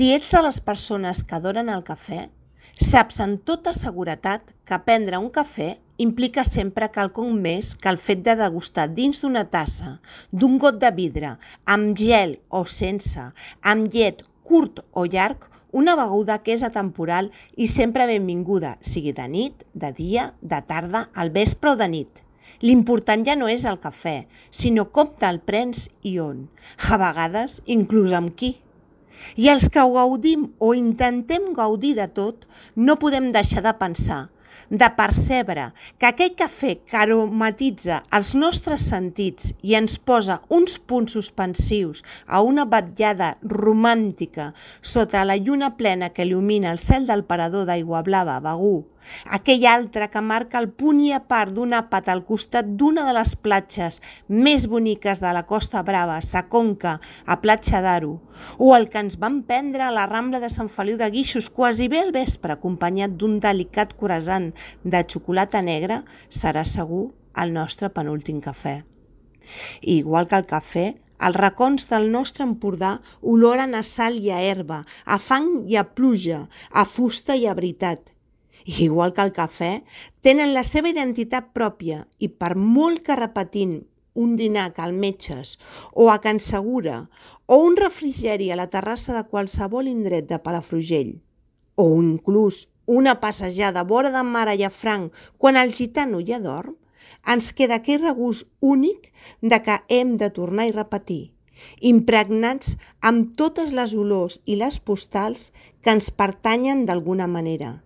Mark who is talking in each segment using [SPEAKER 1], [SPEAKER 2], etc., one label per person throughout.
[SPEAKER 1] Si ets de les persones que adoren el cafè, saps amb tota seguretat que prendre un cafè implica sempre quelcom més que el fet de degustar dins d'una tassa, d'un got de vidre, amb gel o sense, amb llet curt o llarg, una beguda que és atemporal i sempre benvinguda, sigui de nit, de dia, de tarda, al vespre o de nit. L'important ja no és el cafè, sinó com te'l prens i on, a vegades inclús amb qui. I els que ho gaudim o intentem gaudir de tot, no podem deixar de pensar, de percebre que aquell cafè que aromatitza els nostres sentits i ens posa uns punts suspensius a una vetllada romàntica sota la lluna plena que il·lumina el cel del parador d'aigua blava Begur, aquell altre que marca el punt i a part d'un àpat al costat d'una de les platges més boniques de la Costa Brava, Sa Conca, a Platja d'Aro, o el que ens vam prendre a la Rambla de Sant Feliu de Guíxols quasi bé al vespre, acompanyat d'un delicat croissant de xocolata negra, serà segur el nostre penúltim cafè. I igual que el cafè, els racons del nostre Empordà oloren a sal i a herba, a fang i a pluja, a fusta i a veritat. Igual que el cafè, tenen la seva identitat pròpia i per molt que repetim un dinar a Cal Metges o a Can Segura o un refrigeri a la terrassa de qualsevol indret de Palafrugell o inclús una passejada a vora de mar a Llafranc quan el gitano ja dorm, ens queda aquell regust únic de que hem de tornar i repetir, impregnats amb totes les olors i les postals que ens pertanyen d'alguna manera.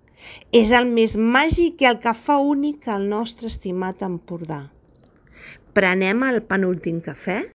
[SPEAKER 1] És el més màgic i el que fa únic el nostre estimat Empordà. Prenem el penúltim cafè?